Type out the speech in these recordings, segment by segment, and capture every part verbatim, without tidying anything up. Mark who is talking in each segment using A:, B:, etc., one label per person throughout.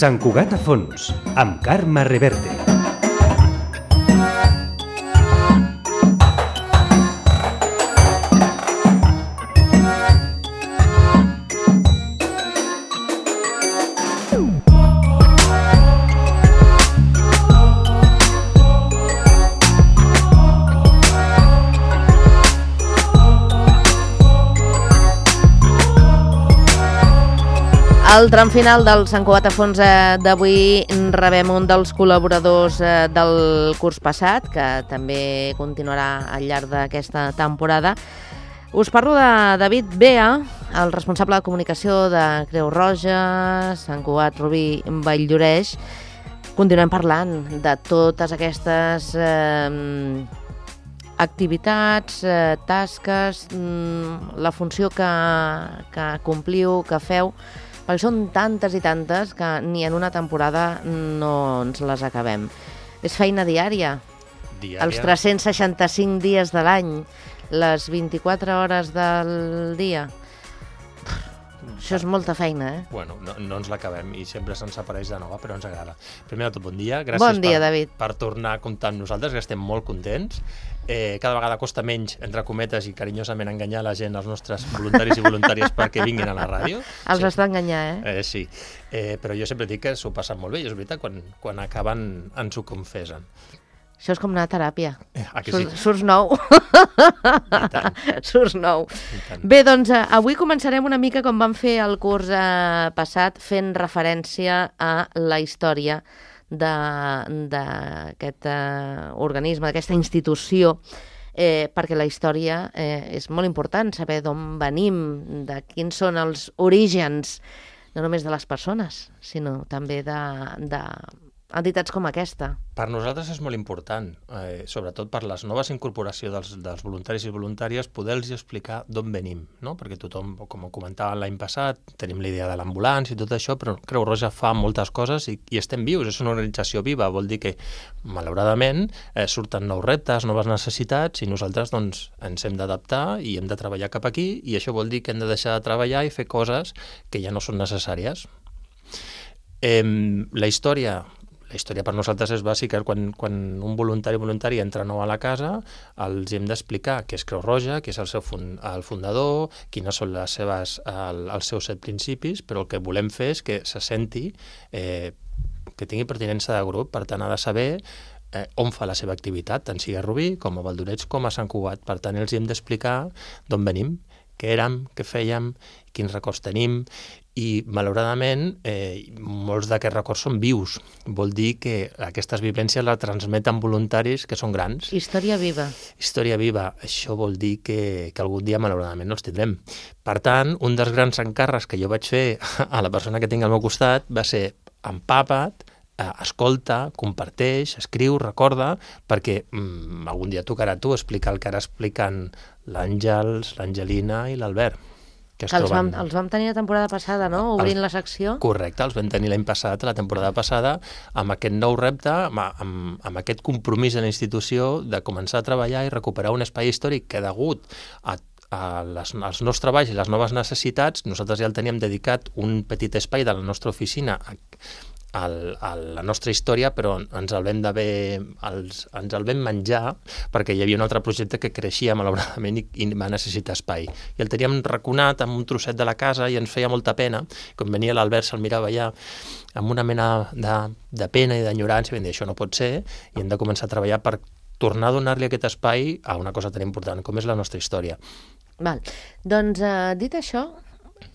A: Sant Cugat a fons, amb Carme Reverte.
B: Al tram final del Sant Cugat a fons d'avui rebem un dels col·laboradors del curs passat, que també continuarà al llarg d'aquesta temporada. Us parlo de David Bea, el responsable de comunicació de Creu Roja, Sant Cugat, Rubí, Valldoreix. Continuem parlant de totes aquestes eh, activitats, eh, tasques, mm, la funció que, que compliu, que feu, perquè són tantes i tantes que ni en una temporada no ens les acabem. És feina diària.
C: Diària.
B: Els tres-cents seixanta-cinc dies de l'any, les vint-i-quatre hores del dia. Això és molta feina, eh?
C: Bueno, no, no ens l'acabem i sempre se'ns apareix de nova, però ens agrada. Primer de tot, bon dia. Gràcies
B: bon dia,
C: per,
B: David.
C: per tornar a comptar amb nosaltres, que estem molt contents. Eh, cada vegada costa menys, entre cometes i carinyosament, enganyar la gent, els nostres voluntaris i voluntàries perquè vinguin a la ràdio.
B: Els
C: sí.
B: has d'enganyar, eh?
C: eh? Sí, eh, però jo sempre dic que s'ho passen molt bé i és veritat, quan, quan acaben ens ho confesen.
B: Això és com una teràpia.
C: Eh, ah, que
B: Sur,
C: sí?
B: Surts nou.
C: I tant.
B: Surts nou.
C: I tant.
B: Bé, doncs eh, avui començarem una mica com vam fer el curs eh, passat, fent referència a la història d'aquest eh, organisme, d'aquesta institució, eh, perquè la història eh, és molt important, saber d'on venim, de quins són els orígens, no només de les persones, sinó també de, de entitats com aquesta.
C: Per nosaltres és molt important, eh, sobretot per les noves incorporacions dels, dels voluntaris i voluntàries, poder-los explicar d'on venim, no? Perquè tothom, com comentava l'any passat, tenim la idea de l'ambulància i tot això, però Creu Roja fa moltes coses i, i estem vius, és una organització viva, vol dir que, malauradament, eh, surten nous reptes, noves necessitats i nosaltres doncs, ens hem d'adaptar i hem de treballar cap aquí i això vol dir que hem de deixar de treballar i fer coses que ja no són necessàries. Eh, la història... La història per nosaltres és bàsica. Quan, quan un voluntari o voluntari entra nou a la casa, els hem d'explicar què és Creu Roja, què és el seu fund, el fundador, quines són les seves, el, els seus set principis, però el que volem fer és que se senti, eh, que tingui pertinença de grup, per tant ha de saber eh, on fa la seva activitat, tant sigui a Rubí, com a Valldoreix, com a Sant Cugat. Per tant, els hem d'explicar d'on venim, què érem, què fèiem, quins records tenim, i malauradament eh, molts d'aquests records són vius. Vol dir que aquestes vivències les transmeten voluntaris que són grans.
B: Història viva. Història
C: viva. Això vol dir que, que algun dia malauradament no els tindrem. Per tant, un dels grans encàrrecs que jo vaig fer a la persona que tinc al meu costat va ser empapa't, eh, escolta, comparteix, escriu, recorda, perquè mm, algun dia tocarà a tu explicar el que ara expliquen l'Àngels, l'Angelina i l'Albert.
B: Que els vam, els vam tenir la temporada passada, no? Obrint
C: els,
B: la secció.
C: Correcte, els vam tenir l'any passat, la temporada passada, amb aquest nou repte, amb, amb, amb aquest compromís de la institució de començar a treballar i recuperar un espai històric que degut a a les, als nous treballs i les noves necessitats, nosaltres ja el teníem dedicat un petit espai de la nostra oficina a, a, a la nostra història, però ens el vam d'haver, els, ens el vam menjar perquè hi havia un altre projecte que creixia malauradament i, i va necessitar espai. I el teníem raconat amb un trosset de la casa i ens feia molta pena. Quan venia l'Albert se'l mirava allà amb una mena de, de pena i d'enyorança i vam dir, això no pot ser, i hem de començar a treballar per tornar a donar-li aquest espai a una cosa tan important com és la nostra història.
B: Val. Doncs, eh, dit això,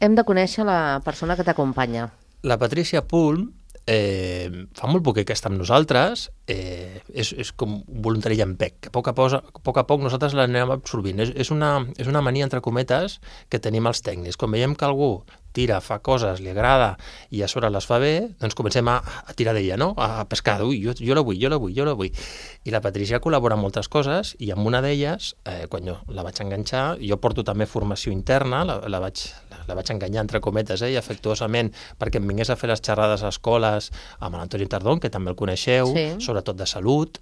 B: hem de conèixer la persona que t'acompanya.
C: La Patricia Pulm eh, fa molt poc que està amb nosaltres, eh, és, és com voluntari llampec, que a poc a poc, a poc, a poc nosaltres l'anem absorbint. És, és, una, és una mania, entre cometes, que tenim els tècnics. Quan veiem que algú tira, fa coses, li agrada i a sobre les fa bé, doncs comencem a, a tirar d'ella, no? A pescar, ui, jo, jo la vull, jo la vull, jo la vull. I la Patricia col·labora en moltes coses i amb una d'elles, eh, quan jo la vaig enganxar, jo porto també formació interna, la, la, vaig, la, la vaig enganyar entre cometes, eh, i afectuosament perquè em vingués a fer les xerrades a escoles amb l'Antoni Tardón, que també el coneixeu, sí. Sobretot de salut,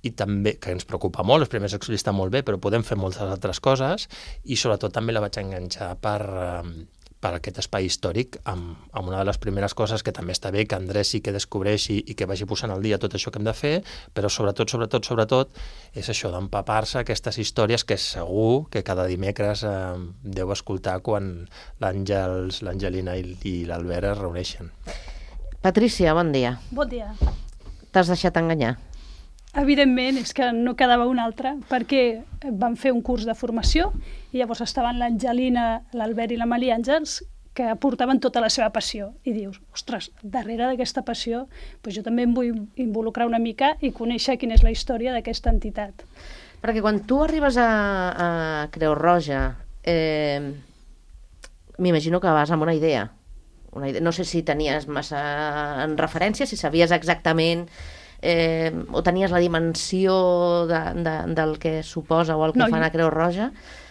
C: i també, que ens preocupa molt, els primers explica està molt bé, però podem fer moltes altres coses, i sobretot també la vaig enganxar per... Eh, per aquest espai històric amb, amb una de les primeres coses que també està bé que Andrés sí que descobreixi i que vagi posant al dia tot això que hem de fer, però sobretot, sobretot, sobretot, és això d'empapar-se aquestes històries que segur que cada dimecres eh, deu escoltar quan l'Àngels, l'Angelina i, i l'Albert es reuneixen.
B: Patrícia, bon dia.
D: Bon dia.
B: T'has deixat enganyar?
D: Evidentment, és que no quedava un altre, perquè vam fer un curs de formació i llavors estaven l'Angelina, l'Albert i la Maria Àngels que portaven tota la seva passió. I dius, ostres, darrere d'aquesta passió doncs jo també em vull involucrar una mica i conèixer quina és la història d'aquesta entitat.
B: Perquè quan tu arribes a, a Creu Roja, eh, m'imagino que vas amb una idea. Una idea. No sé si tenies massa en referència, si sabies exactament... Eh, o tenies la dimensió de, de, del que suposa o el que no, fan a Creu Roja?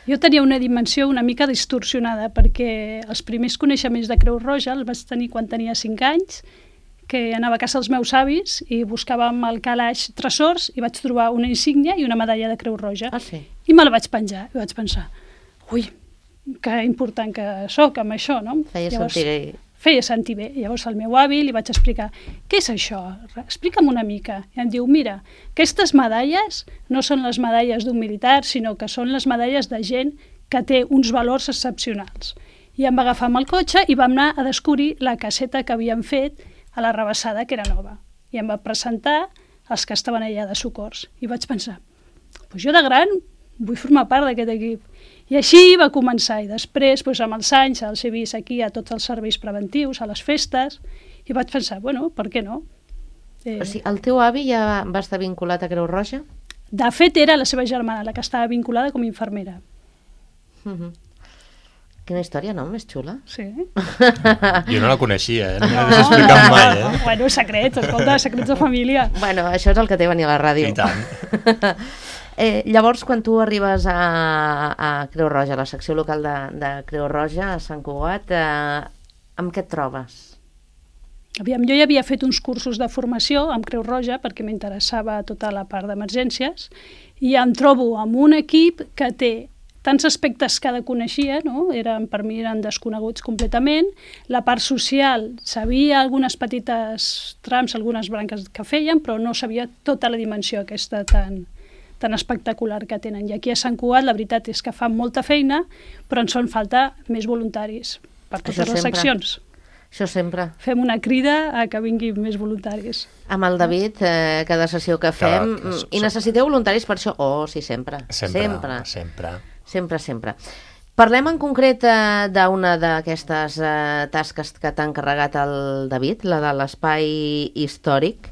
D: Jo tenia una dimensió una mica distorsionada, perquè els primers coneixements de Creu Roja els vaig tenir quan tenia cinc anys, que anava a casa dels meus avis i buscàvem al calaix tresors i vaig trobar una insígnia i una medalla de Creu Roja.
B: Ah, sí?
D: I me la vaig penjar i vaig pensar, ui, que important que sóc amb això, no?
B: Feia Llavors, sentir...
D: Feia sentir bé. Llavors al meu avi li vaig explicar, què és això? Explica'm una mica. I em diu, mira, aquestes medalles no són les medalles d'un militar, sinó que són les medalles de gent que té uns valors excepcionals. I em va agafar amb el cotxe i vam anar a descobrir la caseta que havíem fet a la Rabassada, que era nova. I em va presentar els que estaven allà de socors. I vaig pensar, pues jo de gran vull formar part d'aquest equip. I així va començar, i després, doncs, amb els anys, els he vist aquí a tots els serveis preventius, a les festes, i vaig pensar, bueno, per què no?
B: Eh... O sigui, el teu avi ja va estar vinculat a Creu Roja?
D: De fet, era la seva germana, la que estava vinculada com a infermera.
B: Uh-huh. Quina història, no? Més xula.
D: Sí.
C: Jo no la coneixia, eh? No me l'hagués explicat mai, eh?
D: Bueno, secrets, escolta, secrets de família.
B: Bueno, això és el que té venir a la ràdio.
C: I tant.
B: Eh, llavors, quan tu arribes a, a Creu Roja, a la secció local de, de Creu Roja, a Sant Cugat, eh, amb què et trobes?
D: Aviam, jo ja havia fet uns cursos de formació amb Creu Roja perquè m'interessava tota la part d'emergències i em trobo amb un equip que té tants aspectes que coneixia, no? Eren, per mi eren desconeguts completament. La part social, sabia algunes petites trams, algunes branques que feien, però no sabia tota la dimensió aquesta tan... tan espectacular que tenen. I aquí a Sant Cugat la veritat és que fan molta feina, però ens fan falta més voluntaris per totes
B: Això
D: les
B: sempre.
D: seccions.
B: Això sempre.
D: Fem una crida a que vinguin més voluntaris.
B: Amb el David, eh, cada sessió que fem,
C: Cada, que,
B: i necessiteu voluntaris per això? Oh, sí, sempre.
C: Sempre,
B: sempre.
C: sempre.
B: Sempre, sempre. Parlem en concret eh, d'una d'aquestes eh, tasques que t'ha encarregat el David, la de l'espai històric,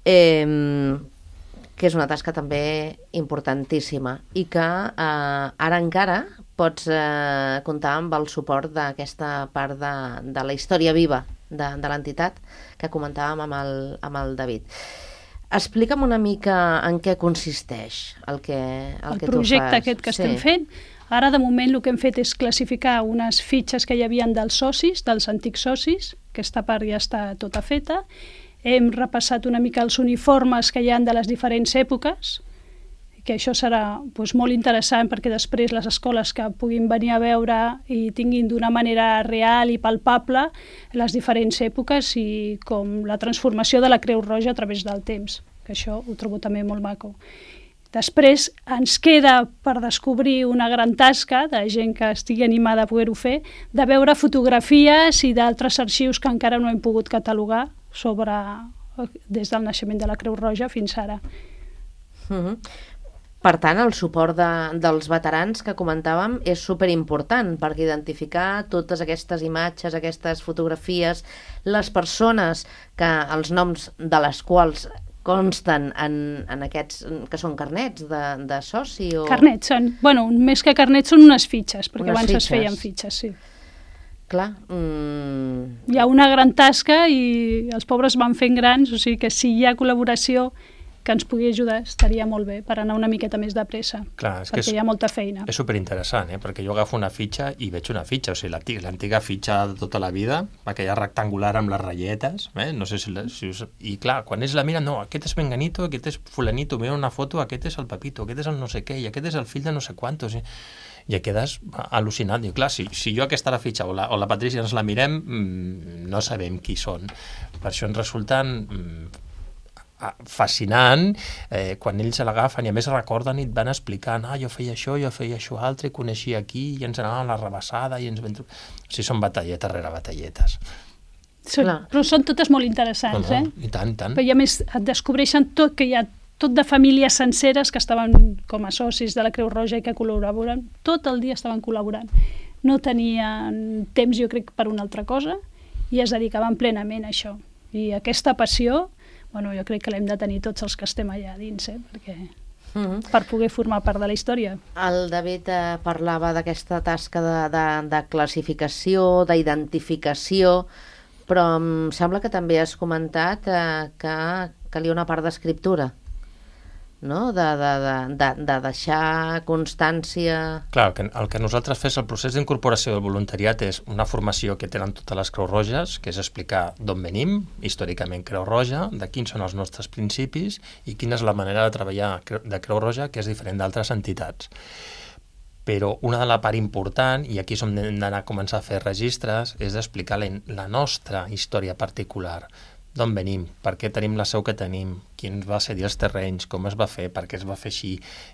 B: eh, que és una tasca també importantíssima i que eh, ara encara pots eh, comptar amb el suport d'aquesta part de, de la història viva de, de l'entitat que comentàvem amb el, amb el David. Explica'm una mica en què consisteix el que, el,
D: el
B: que tu fas.
D: El projecte aquest que estem sí. fent. Ara, de moment, el que hem fet és classificar unes fitxes que hi havia dels socis, dels antics socis, que aquesta part ja està tota feta. Hem repassat una mica els uniformes que hi ha de les diferents èpoques, que això serà doncs, molt interessant perquè després les escoles que puguin venir a veure i tinguin d'una manera real i palpable les diferents èpoques i com la transformació de la Creu Roja a través del temps, que això ho trobo també molt maco. Després ens queda per descobrir una gran tasca de gent que estigui animada a poder-ho fer, de veure fotografies i d'altres arxius que encara no hem pogut catalogar sobre des del naixement de la Creu Roja fins ara.
B: Uh-huh. Per tant, el suport de, dels veterans que comentàvem és superimportant perquè identificar totes aquestes imatges, aquestes fotografies, les persones que els noms de les quals consten en, en aquests, que són carnets de, de soci o...
D: Carnets, són, bueno, més que carnets són unes fitxes, perquè
B: unes
D: abans
B: fitxes.
D: es feien fitxes, sí.
B: Clar. Mm...
D: Hi ha una gran tasca i els pobres van fent grans, o sigui que si hi ha col·laboració que ens pugui ajudar estaria molt bé per anar una miqueta més de pressa,
C: Clar, és
D: perquè
C: que és,
D: hi ha molta feina.
C: És superinteressant, eh? Perquè jo agafo una fitxa i veig una fitxa, o sigui, l'antiga, l'antiga fitxa de tota la vida, aquella rectangular amb les ratlletes, eh? No sé si, la, si us... I clar, quan ells la miren, no, aquest és Menganito, aquest és Fulanito, mira una foto, aquest és el Pepito, aquest és el no sé què, i aquest és el fill de no sé quantos, i, i quedes al·lucinat. Diu, clar, si, si jo aquesta la fitxa o la, o la Patrícia ens la mirem, mmm, no sabem qui són. Per això ens resulten mmm, fascinant eh, quan ells se l'agafen i a més recorden i et van explicant, ah, jo feia això, jo feia això altre, i coneixia aquí i ens anàvem a la rebassada i ens vam... O sigui, són batalletes rere batalletes.
D: Són, però són totes molt interessants,
C: no, no,
D: eh?
C: I tant, i tant.
D: Però i a més et descobreixen tot, que hi ha tot de famílies senceres que estaven com a socis de la Creu Roja i que col·laboren, tot el dia estaven col·laborant. No tenien temps, jo crec, per una altra cosa i es dedicaven plenament a això. I aquesta passió, bueno, jo crec que l'hem de tenir tots els que estem allà dins, eh? Perquè mm-hmm. per poder formar part de la història.
B: El David eh, parlava d'aquesta tasca de, de, de classificació, d'identificació, però em sembla que també has comentat eh, que calia una part d'escriptura, no? De, de, de, de, de deixar constància...
C: Clar, el que, el que nosaltres fes, el procés d'incorporació del voluntariat és una formació que tenen totes les Creus Roges, que és explicar d'on venim, històricament Creu Roja, de quins són els nostres principis i quina és la manera de treballar de Creu Roja, que és diferent d'altres entitats. Però una de la part important, i aquí som hem d'anar a començar a fer registres, és explicar la, la nostra història particular, d'on venim, per què tenim la seu que tenim, quins va ser els terrenys, com es va fer, per què es va fer així,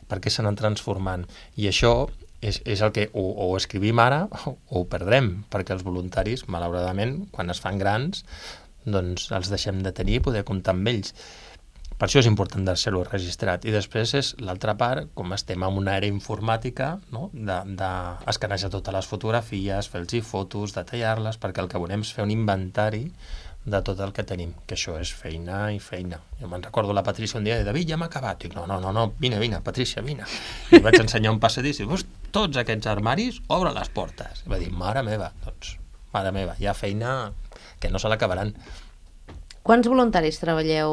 C: per què s'han anat transformant. I això és, és el que o, o escrivim ara o, o ho perdrem, perquè els voluntaris, malauradament, quan es fan grans, doncs els deixem de tenir i poder comptar amb ells. Per això és important deixar-ho registrat. I després és l'altra part, com estem en una era informàtica, no? de, de escanejar totes les fotografies, fer-los fotos, detallar-les, perquè el que volem és fer un inventari de tot el que tenim, que això és feina i feina. Jo me'n recordo la Patrícia un dia de David, ja m'ha acabat. Dic, no, no, no, no, vine, vine, Patrícia, vine. I vaig ensenyar un passadís i dius, tots aquests armaris, obre les portes. I va dir, mare meva, doncs, mare meva, hi ha feina que no se l'acabaran.
B: Quants voluntaris treballeu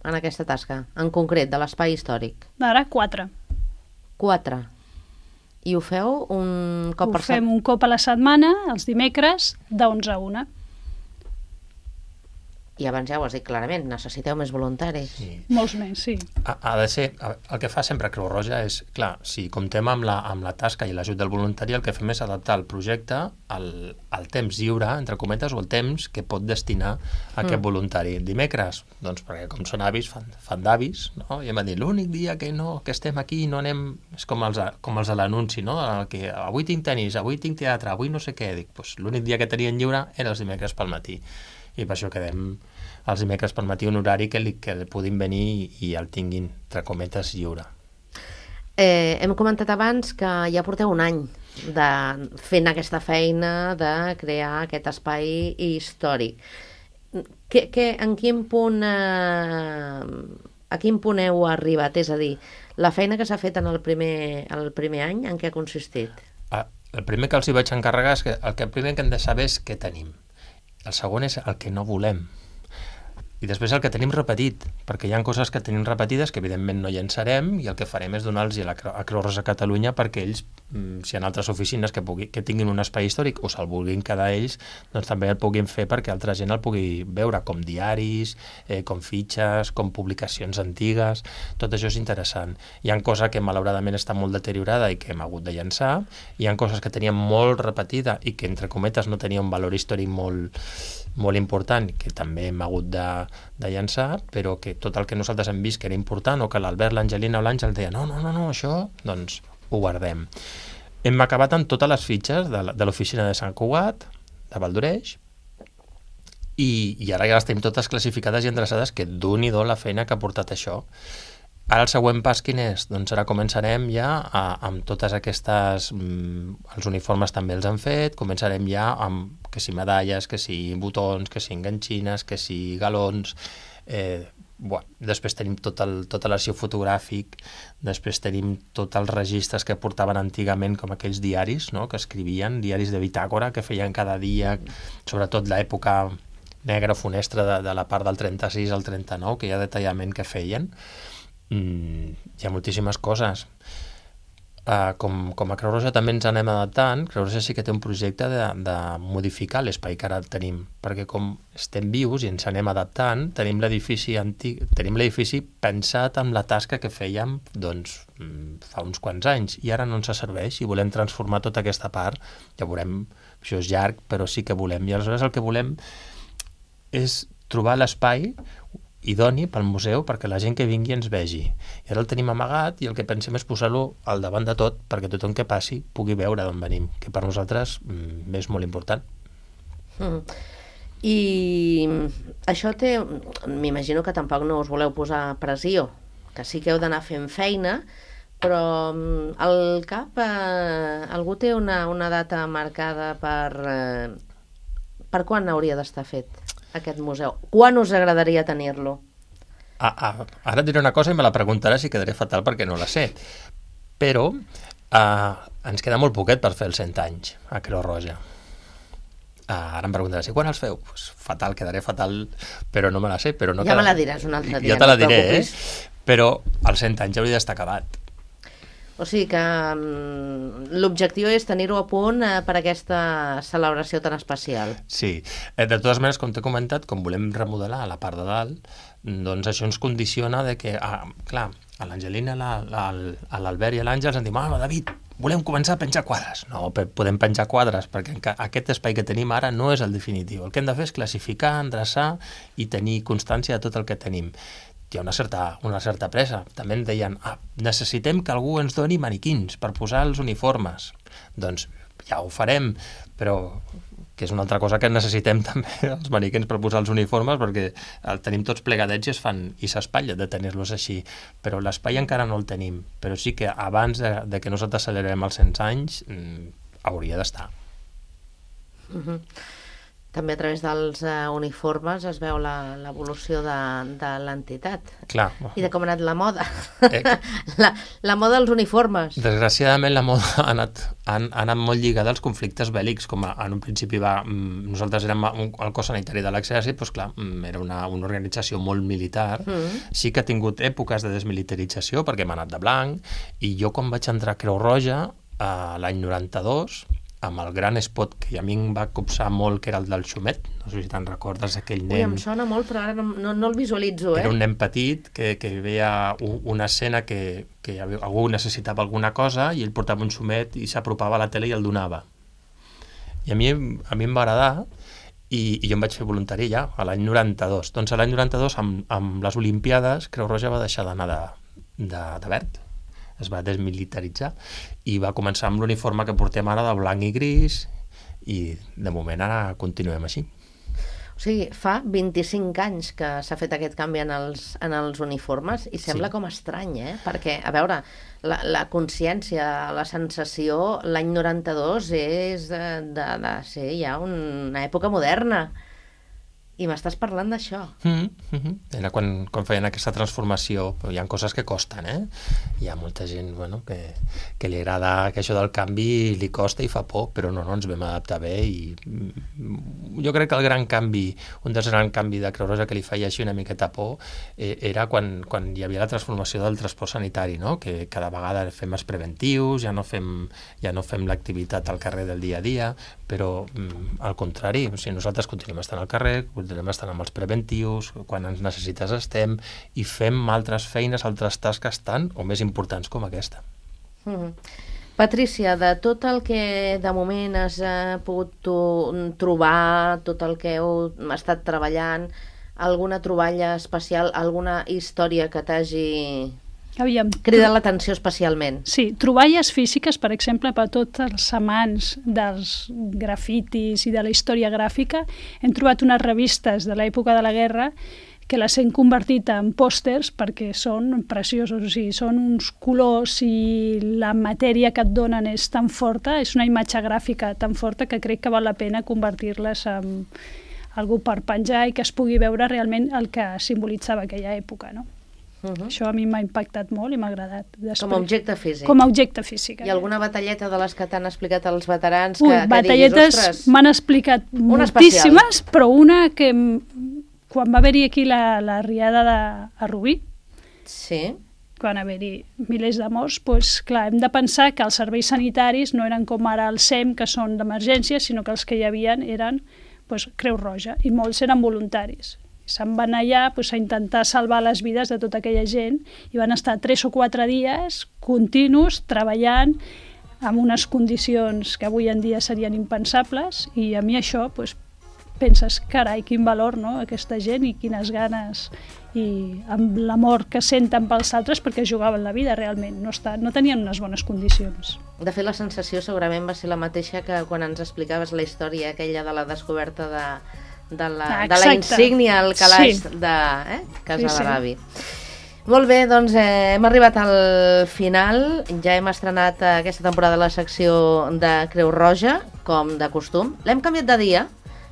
B: en aquesta tasca, en concret, de l'espai històric?
D: Ara, quatre.
B: Quatre. I ho feu un cop
D: ho
B: per setmana?
D: Ho fem un cop a la setmana, els dimecres, d'onze a una.
B: I abans ja ho has dit clarament, necessiteu més voluntaris.
C: Sí.
D: Molts més, sí.
C: Ha, ha de ser, el que fa sempre Creu Roja és, clar, si comptem amb la, amb la tasca i l'ajut del voluntari, el que fem és adaptar el projecte al, al temps lliure, entre cometes, o el temps que pot destinar a aquest mm. voluntari. Dimecres, doncs perquè com són avis, fan, fan d'avis, no? I em van dir, l'únic dia que no que estem aquí no anem... És com els, com els de l'anunci, no? El que avui tinc tenis, avui tinc teatre, avui no sé què. Dic, doncs l'únic dia que tenien lliure era els dimecres pel matí. I per això quedem els dimecres per matí un horari que, li, que puguin venir i el tinguin, entre cometes, lliure.
B: Eh, hem comentat abans que ja porteu un any de, fent aquesta feina de crear aquest espai històric. Que, que, en quin punt, eh, a quin punt heu arribat? És a dir, la feina que s'ha fet en el primer, el primer any, en què ha consistit?
C: El primer que els hi vaig encarregar és que el, que el primer que hem de saber és què tenim. El segon és el que no volem. I després el que tenim repetit, perquè hi ha coses que tenim repetides que evidentment no llançarem i el que farem és donar-los a la Creu Roja Catalunya perquè ells, si hi ha altres oficines que, pugui, que tinguin un espai històric o se'l vulguin quedar ells, doncs també el puguin fer perquè altra gent el pugui veure, com diaris, eh, com fitxes, com publicacions antigues, tot això és interessant. Hi ha coses que malauradament està molt deteriorada i que hem hagut de llançar, hi ha coses que teníem molt repetida i que entre cometes no tenia un valor històric molt molt important, que també hem hagut de, de llançar, però que tot el que nosaltres hem vist que era important, o que l'Albert, l'Angelina o l'Àngel deien no, no, no, no, això, doncs ho guardem. Hem acabat amb totes les fitxes de, de l'oficina de Sant Cugat, de Valdoreix, i, i ara ja les tenim totes classificades i endreçades, que d'un i do la feina que ha portat això. Ara el següent pas quin és? Doncs ara començarem ja a, amb totes aquestes... Mm, els uniformes també els han fet, començarem ja amb que si medalles, que si botons, que si enganxines, que si galons... Eh, bueno, després tenim tot el, tot l'arxiu fotogràfic, després tenim tots els registres que portaven antigament, com aquells diaris, no?, que escrivien, diaris de bitàcora, que feien cada dia, sobretot l'època negra funestra de, de la part del trenta-sis al trenta-nou, que hi ha detallament que feien. Mm, hi ha moltíssimes coses. Uh, com, com a Creu Roja també ens anem adaptant. Creu Roja sí que té un projecte de, de modificar l'espai que ara tenim, perquè com estem vius i ens anem adaptant, tenim l'edifici antic, tenim l'edifici pensat amb la tasca que fèiem doncs, fa uns quants anys, i ara no ens serveix i volem transformar tota aquesta part. Ja veurem, això és llarg, però sí que volem. I aleshores el que volem és trobar l'espai idoni pel museu perquè la gent que vingui ens vegi. I ara el tenim amagat i el que pensem és posar-lo al davant de tot perquè tothom que passi pugui veure d'on venim, que per nosaltres mm, és molt important.
B: Mm. I això té... M'imagino que tampoc no us voleu posar pressió, que sí que heu d'anar fent feina, però al cap eh, algú té una, una data marcada per... Eh, per quan hauria d'estar fet aquest museu? Quan us agradaria tenir-lo?
C: Ah, ah, ara et diré una cosa i me la preguntaràs i quedaré fatal perquè no la sé. Però ah, ens queda molt poquet per fer els cent anys a Creu Roja. Ah, ara em preguntaràs, i quan els feu? Pues fatal, quedaré fatal, però no me la sé. Però no
B: ja
C: queda...
B: me la diràs un altre dia.
C: Ja te la
B: no
C: diré, eh? Però els cent anys hauria d'estar acabat.
B: O sigui que um, l'objectiu és tenir-ho a punt eh, per aquesta celebració tan especial.
C: Sí. Eh, de totes maneres, com t'he comentat, com volem remodelar la part de dalt, doncs això ens condiciona de que, ah, clar, a l'Angelina, a l'Albert i a l'Àngels ens diuen, ah, David, volem començar a penjar quadres. No, podem penjar quadres, perquè aquest espai que tenim ara no és el definitiu. El que hem de fer és classificar, endreçar i tenir constància de tot el que tenim. Hi ha una certa, una certa pressa. També em deien, ah, necessitem que algú ens doni maniquins per posar els uniformes. Doncs ja ho farem, però que és una altra cosa que necessitem també, els maniquins per posar els uniformes, perquè el tenim tots plegadets i es fan i s'espatlla de tenir-los així. Però l'espai encara no el tenim. Però sí que abans de, de que nosaltres celebrem els cent anys, mmm, hauria d'estar.
B: Uh-huh. També a través dels uh, uniformes es veu l'evolució de, de l'entitat.
C: Clar.
B: I de com ha anat la moda.
C: Eh,
B: la, la moda dels uniformes.
C: Desgraciadament la moda ha anat, ha, ha anat molt lligada als conflictes bèl·lics, com a, en un principi va... Nosaltres érem un, el cos sanitari de l'exèrcit, doncs clar, era una, una organització molt militar. Mm. Sí que ha tingut èpoques de desmilitarització, perquè m'ha anat de blanc, i jo quan vaig entrar a Creu Roja, a l'any noranta-dos, amb el gran spot que a mi em va copsar molt, que era el del Xumet, no sé si te'n recordes, aquell nen...
B: Ui, em sona molt, però ara no, no, no el visualitzo, eh?
C: Era un nen petit que, que veia una escena que, que algú necessitava alguna cosa i ell portava un xumet i s'apropava a la tele i el donava. I a mi, a mi em va agradar i, i jo em vaig fer voluntari ja, a l'any noranta-dos. Doncs a l'any noranta-dos, amb, amb les Olimpiades, Creu Roja va deixar d'anar de, de, de verd, es va desmilitaritzar i va començar amb l'uniforme que portem ara de blanc i gris i de moment ara continuem així.
B: O sigui, fa vint-i-cinc anys que s'ha fet aquest canvi en els, en els uniformes i sembla sí. com estrany, eh? Perquè, a veure, la, la consciència, la sensació, l'any noranta-dos és de, de, de ser ja una època moderna. I m'estàs parlant d'això.
C: Mm -hmm. Era quan, quan feien aquesta transformació, però hi ha coses que costen, eh? Hi ha molta gent, bueno, que, que li agrada que això del canvi li costa i fa por, però no, no, ens vam adaptar bé i jo crec que el gran canvi, un dels grans canvis de Creu Roja que li feia així una miqueta por, eh, era quan, quan hi havia la transformació del transport sanitari, no? Que cada vegada fem els preventius, ja no fem, ja no fem l'activitat al carrer del dia a dia, però mm, al contrari, o sigui, nosaltres continuem estant al carrer, continuem estant amb els preventius, quan ens necessites estem, i fem altres feines, altres tasques tan o més importants com aquesta.
B: Mm-hmm. Patrícia, de tot el que de moment has eh, pogut tu, trobar, tot el que heu estat treballant, alguna troballa especial, alguna història que t'hagi...
D: Aviam,
B: cridat l'atenció especialment?
D: Sí, troballes físiques, per exemple, per tots els amants dels grafitis i de la història gràfica. Hem trobat unes revistes de l'època de la guerra que les hem convertit en pòsters perquè són preciosos, o sigui, són uns colors i la matèria que et donen és tan forta, és una imatge gràfica tan forta que crec que val la pena convertir-les en algú per penjar i que es pugui veure realment el que simbolitzava aquella època, no? Uh-huh. Això a mi m'ha impactat molt i m'ha agradat. Després,
B: com a objecte físic.
D: Com a objecte físic.
B: Hi ha alguna batalleta de les que t'han explicat els veterans
D: Ui,
B: que, que
D: batalletes
B: diguis, ostres...
D: m'han explicat moltíssimes, però una que quan va haver-hi aquí la, la riada de a Rubí,
B: sí.
D: quan va haver-hi milers de morts, doncs, clar, hem de pensar que els serveis sanitaris no eren com ara el S E M, que són d'emergència, sinó que els que hi havia eren doncs, Creu Roja, i molts eren voluntaris. Se'n van allà doncs, a intentar salvar les vides de tota aquella gent i van estar tres o quatre dies continus treballant amb unes condicions que avui en dia serien impensables, i a mi això doncs, penses, carai, quin valor, no?, aquesta gent, i quines ganes, i amb l'amor que senten pels altres, perquè jugaven la vida realment, no, està, no tenien unes bones condicions.
B: De fet, la sensació segurament va ser la mateixa que quan ens explicaves la història aquella de la descoberta de, de, la,
D: ah,
B: de la insígnia al calaix
D: sí.
B: de eh, Casa
D: sí,
B: de l'avi.
D: Sí.
B: Molt bé, doncs eh, hem arribat al final, ja hem estrenat aquesta temporada la secció de Creu Roja, com de costum. L'hem canviat de dia,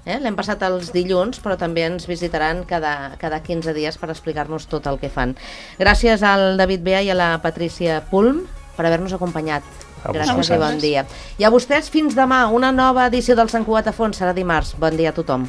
B: Eh? L'hem passat els dilluns, però també ens visitaran cada, cada quinze dies per explicar-nos tot el que fan. Gràcies al David Bea i a la Patrícia Pulm per haver-nos acompanyat.
C: A
B: Gràcies
C: vosaltres.
B: i bon dia. I a vostès fins demà, una nova edició del Sant Cugat a Fons, serà dimarts. Bon dia a tothom.